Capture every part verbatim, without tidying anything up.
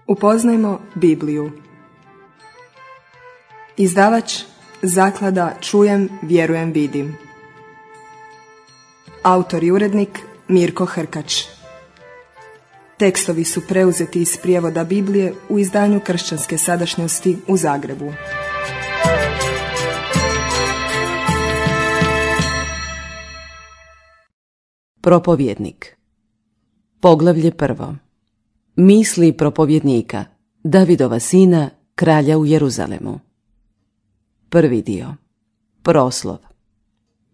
Upoznajmo Bibliju. Izdavač Zaklada Čujem, vjerujem, vidim. Autor i urednik Mirko Hrkač. Tekstovi su preuzeti iz prijevoda Biblije u izdanju Kršćanske sadašnjosti u Zagrebu. Propovjednik. Poglavlje prvo. Misli propovjednika, Davidova sina, kralja u Jeruzalemu. Prvi dio. Proslov.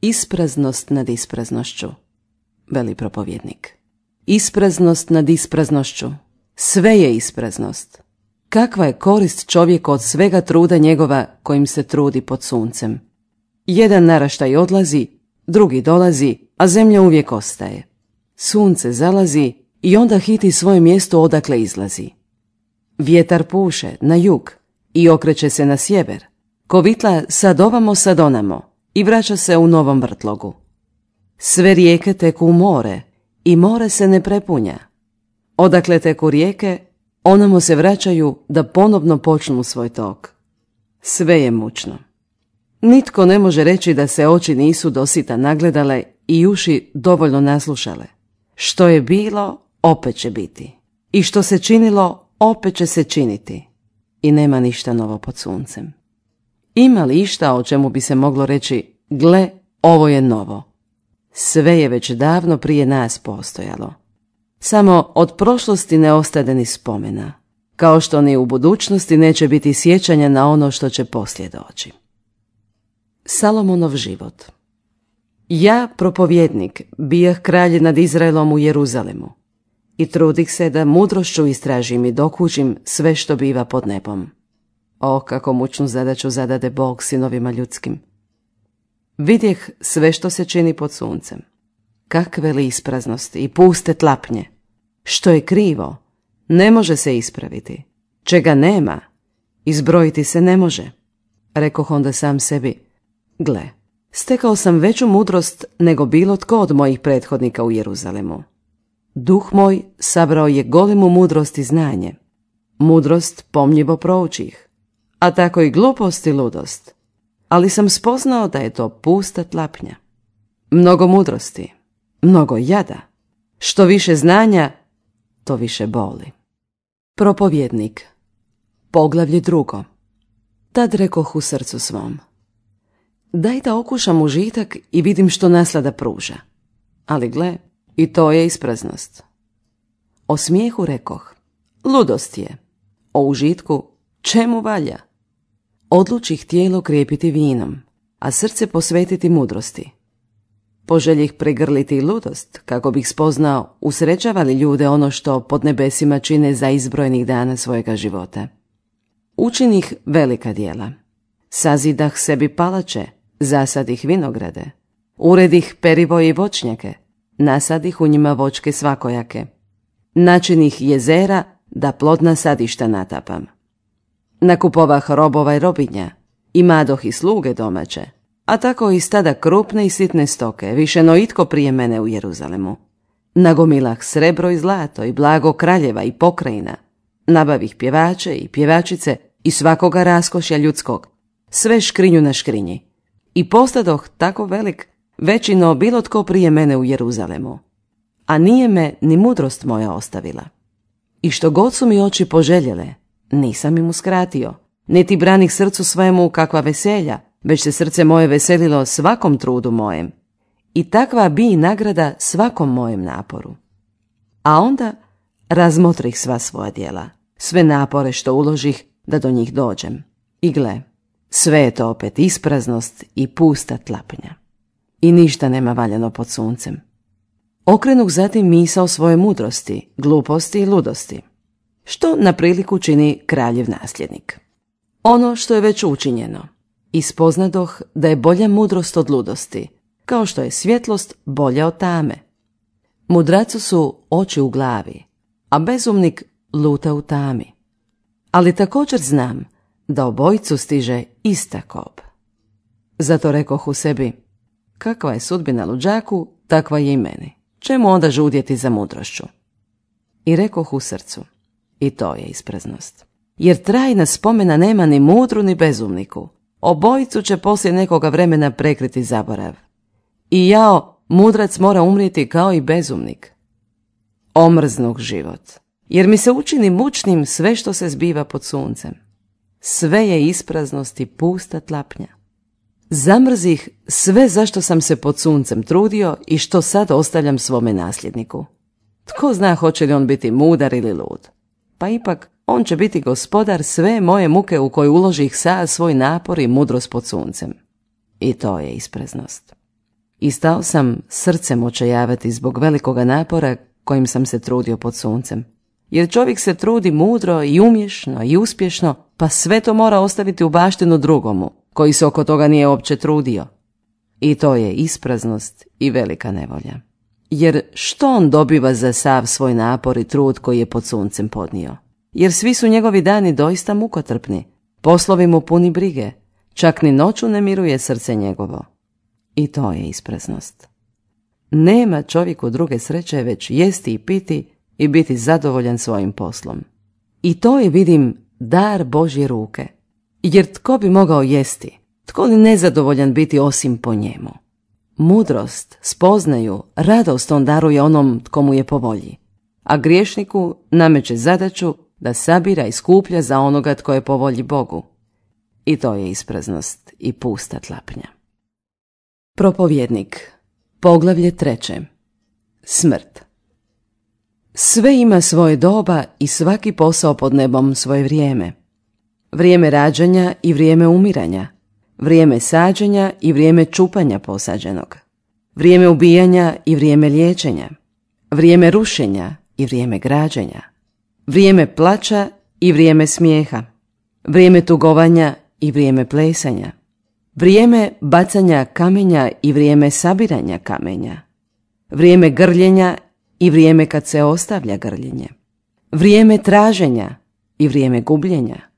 Ispraznost nad ispraznošću, veli propovjednik. Ispraznost nad ispraznošću. Sve je ispraznost. Kakva je korist čovjeku od svega truda njegova kojim se trudi pod suncem? Jedan naraštaj odlazi, drugi dolazi, a zemlja uvijek ostaje. Sunce zalazi i onda hiti svoje mjesto odakle izlazi. Vjetar puše na jug i okreće se na sjever. Kovitla sad ovamo sad onamo i vraća se u novom vrtlogu. Sve rijeke teku u more i more se ne prepunja. Odakle teku rijeke, onamo se vraćaju da ponovno počnu svoj tok. Sve je mučno. Nitko ne može reći da se oči nisu dosita nagledale i uši dovoljno naslušale. Što je bilo, opet će biti. I što se činilo, opet će se činiti. I nema ništa novo pod suncem. Ima li išta o čemu bi se moglo reći, gle, ovo je novo? Sve je već davno prije nas postojalo. Samo od prošlosti ne ostade ni spomena, kao što ni u budućnosti neće biti sjećanja na ono što će poslije doći. Salomonov život. Ja, propovjednik, bijah kralj nad Izraelom u Jeruzalemu i trudih se da mudrošću istražim i dokučim sve što biva pod nebom. O, kako mučnu zadaću zadade Bog sinovima ljudskim. Vidjeh sve što se čini pod suncem. Kakve li ispraznosti i puste tlapnje. Što je krivo, ne može se ispraviti. Čega nema, izbrojiti se ne može. Rekoh onda sam sebi, gle, stekao sam veću mudrost nego bilo tko od mojih prethodnika u Jeruzalemu. Duh moj sabrao je golemu mudrost i znanje. Mudrost pomljivo proučih, a tako i glupost i ludost. Ali sam spoznao da je to pusta tlapnja. Mnogo mudrosti, mnogo jada. Što više znanja, to više boli. Propovjednik. Poglavlje drugo. Tad rekoh u srcu svom, daj da okušam užitak i vidim što naslada pruža. Ali gle, i to je ispraznost. O smijehu rekoh, ludost je. O užitku, čemu valja? Odlučih tijelo krijepiti vinom, a srce posvetiti mudrosti. Poželjih pregrliti ludost, kako bih spoznao usrećava li ljude ono što pod nebesima čine za izbrojnih dana svojega života. Učinih velika djela. Sazidah sebi palače, zasadih vinograde. Uredih perivoje i voćnjake, nasadih u njima voćke svakojake. Načinih jezera da plodna sadišta natapam. Nakupovah robova i robinja, i madoh i sluge domaće, a tako i stada krupne i sitne stoke, više no itko prije mene u Jeruzalemu. Nagomilah srebro i zlato i blago kraljeva i pokrajina, nabavih pjevače i pjevačice i svakoga raskošja ljudskog, sve škrinju na škrinji. I postadoh tako velik, veći no bilo tko prije mene u Jeruzalemu. A nije me ni mudrost moja ostavila. I što god su mi oči poželjele, nisam im uskratio, niti branih srcu svojemu kakva veselja, već se srce moje veselilo svakom trudu mojem. I takva bi i nagrada svakom mojem naporu. A onda razmotrih sva svoja djela, sve napore što uložih da do njih dođem. I gle, sve je to opet ispraznost i pusta tlapnja. I ništa nema valjano pod suncem. Okrenuh zatim misao svoje mudrosti, gluposti i ludosti. Što na priliku čini kraljev nasljednik. Ono što je već učinjeno. I spoznadoh da je bolja mudrost od ludosti, kao što je svjetlost bolja od tame. Mudracu su oči u glavi, a bezumnik luta u tami. Ali također znam da obojicu stiže ista kob. Zato rekoh u sebi, kakva je sudbina luđaku, takva je i meni. Čemu onda žudjeti za mudrošću? I rekoh u srcu, I to je ispraznost. Jer trajna spomena nema ni mudru ni bezumniku. Obojicu će poslije nekoga vremena prekriti zaborav. I jao, mudrac mora umrijeti kao i bezumnik. Omrznog život. Jer mi se učini mučnim sve što se zbiva pod suncem. Sve je ispraznost i pusta tlapnja. Zamrzih sve zašto sam se pod suncem trudio i što sad ostavljam svome nasljedniku. Tko zna hoće li on biti mudar ili lud. Pa ipak on će biti gospodar sve moje muke u koje uložih sav svoj napor i mudrost pod suncem. I to je ispraznost. I stao sam srcem očajavati zbog velikoga napora kojim sam se trudio pod suncem. Jer čovjek se trudi mudro i umješno i uspješno, pa sve to mora ostaviti u baštinu drugomu, koji se oko toga nije uopće trudio. I to je ispraznost i velika nevolja. Jer što on dobiva za sav svoj napor i trud koji je pod suncem podnio? Jer svi su njegovi dani doista mukotrpni, poslovi mu puni brige, čak ni noću ne miruje srce njegovo. I to je ispraznost. Nema čovjeku druge sreće već jesti i piti i biti zadovoljan svojim poslom. I to je, vidim, dar Božje ruke. Jer tko bi mogao jesti, tko li nezadovoljan biti osim po njemu? Mudrost, spoznaju, radost on daruje onom tko mu je po volji, a griješniku nameće zadaću da sabira i skuplja za onoga tko je po volji Bogu. I to je ispraznost i pusta tlapnja. Propovjednik, poglavlje treće. Smrt. Sve ima svoje doba i svaki posao pod nebom svoje vrijeme. Vrijeme rađanja i vrijeme umiranja, vrijeme sađenja i vrijeme čupanja posađenog, vrijeme ubijanja i vrijeme liječenja, vrijeme rušenja i vrijeme građenja, vrijeme plača i vrijeme smijeha, vrijeme tugovanja i vrijeme plesanja, vrijeme bacanja kamenja i vrijeme sabiranja kamenja, vrijeme grljenja i vrijeme kad se ostavlja grljenje, vrijeme traženja i vrijeme gubljenja,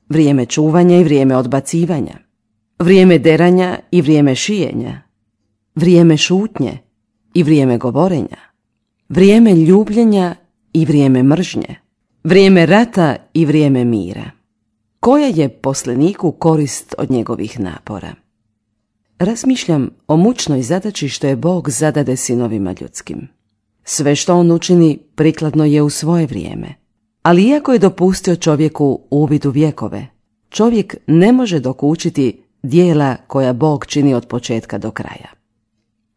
vrijeme čuvanja i vrijeme odbacivanja, vrijeme deranja i vrijeme šijenja, vrijeme šutnje i vrijeme govorenja, vrijeme ljubljenja i vrijeme mržnje, vrijeme rata i vrijeme mira. Koja je poslaniku korist od njegovih napora? Razmišljam o mučnoj zadaći što je Bog zadade sinovima ljudskim. Sve što on učini prikladno je u svoje vrijeme. Ali iako je dopustio čovjeku uvid u vjekove, čovjek ne može dokučiti dijela koja Bog čini od početka do kraja.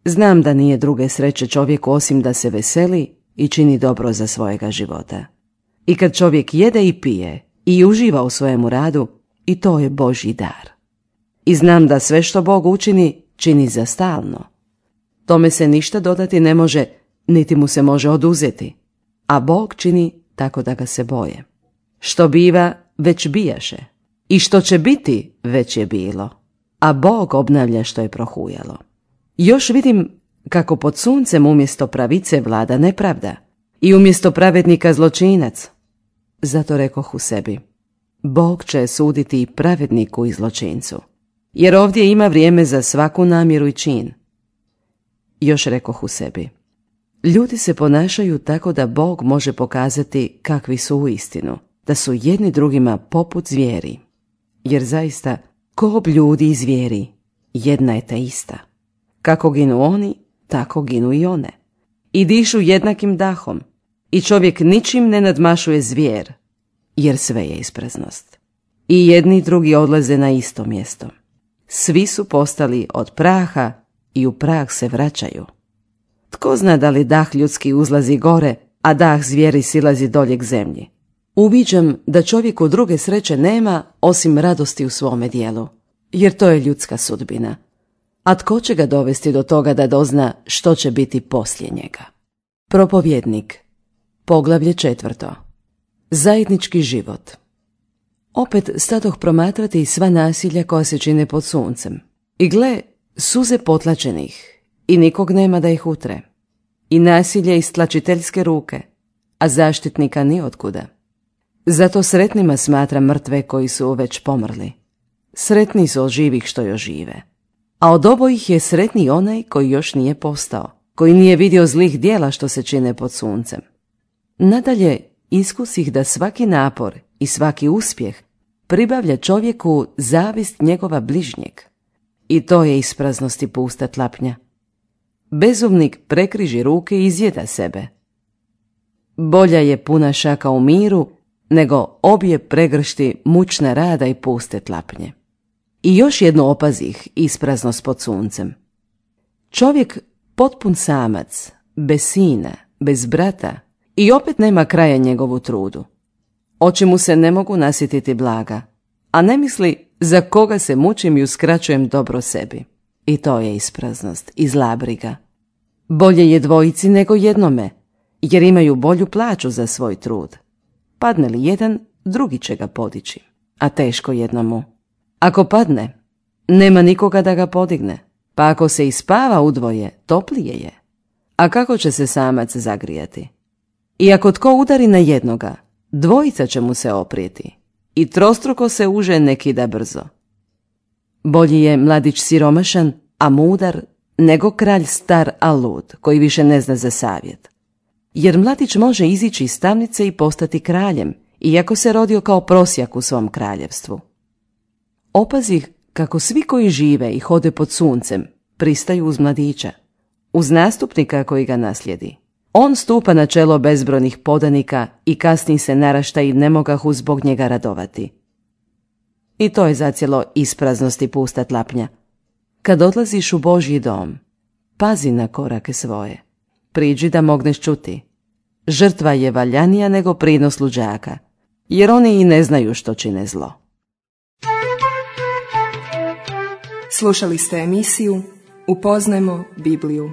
Znam da nije druge sreće čovjeku osim da se veseli i čini dobro za svojega života. I kad čovjek jede i pije i uživa u svojemu radu, i to je Božji dar. I znam da sve što Bog učini, čini za stalno. Tome se ništa dodati ne može, niti mu se može oduzeti, a Bog čini tako da ga se boje. Što biva, već bijaše, i što će biti, već je bilo, a Bog obnavlja što je prohujalo. Još vidim kako pod suncem umjesto pravice vlada nepravda i umjesto pravednika zločinac. Zato rekoh u sebi, Bog će suditi i pravedniku i zločincu, jer ovdje ima vrijeme za svaku namjeru i čin. Još rekoh u sebi, ljudi se ponašaju tako da Bog može pokazati kakvi su u istinu, da su jedni drugima poput zvijeri. Jer zaista, ko ljudi i zvijeri, jedna je ta ista. Kako ginu oni, tako ginu i one. I dišu jednakim dahom, i čovjek ničim ne nadmašuje zvijer, jer sve je ispraznost. I jedni i drugi odlaze na isto mjesto. Svi su postali od praha i u prah se vraćaju. Tko zna da li dah ljudski uzlazi gore, a dah zvijeri silazi dolje k zemlji? Uviđam da čovjeku druge sreće nema osim radosti u svome dijelu, jer to je ljudska sudbina. A tko će ga dovesti do toga da dozna što će biti poslije njega? Propovjednik, poglavlje četvrto. Zajednički život. Opet stadoh promatrati sva nasilja koja se čine pod suncem. I gle, suze potlačenih, i nikog nema da ih utre. I nasilje iz tlačiteljske ruke, a zaštitnika ni otkuda. Zato sretnima smatram mrtve koji su već pomrli. Sretni su od živih što još žive. A od obojih je sretniji onaj koji još nije postao, koji nije vidio zlih dijela što se čine pod suncem. Nadalje, iskusih da svaki napor i svaki uspjeh pribavlja čovjeku zavist njegova bližnjeg. I to je ispraznost i pusta tlapnja. Bezumnik prekriži ruke i izjeda sebe. Bolja je puna šaka u miru, nego obje pregršti mučna rada i puste tlapnje. I još jedno opazih ispraznost pod suncem. Čovjek potpun samac, bez sina, bez brata, i opet nema kraja njegovu trudu. Oči mu se ne mogu nasjetiti blaga, a ne misli za koga se mučim i uskraćujem dobro sebi. I to je ispraznost i zla briga. Bolje je dvojici nego jednome, jer imaju bolju plaću za svoj trud. Padne li jedan, drugi će ga podići, a teško jednomu. Ako padne, nema nikoga da ga podigne, pa ako se ispava udvoje, toplije je. A kako će se samac zagrijati? I ako tko udari na jednoga, dvojica će mu se oprijeti i trostruko se uže ne kida brzo. Bolji je mladić siromašan, a mudar, nego kralj star a lud, koji više ne zna za savjet. Jer mladić može izići iz tamnice i postati kraljem, iako se rodio kao prosjak u svom kraljevstvu. Opazih kako svi koji žive i hode pod suncem pristaju uz mladića, uz nastupnika koji ga naslijedi. On stupa na čelo bezbrojnih podanika i kasnije se narašta i ne mogahu zbog njega radovati. I to je zacijelo ispraznost i pusta tlapnja. Kad odlaziš u Božji dom, pazi na korake svoje. Priđi da mogneš čuti. Žrtva je valjanija nego prinos luđaka, jer oni i ne znaju što čine zlo. Slušali ste emisiju Upoznajmo Bibliju.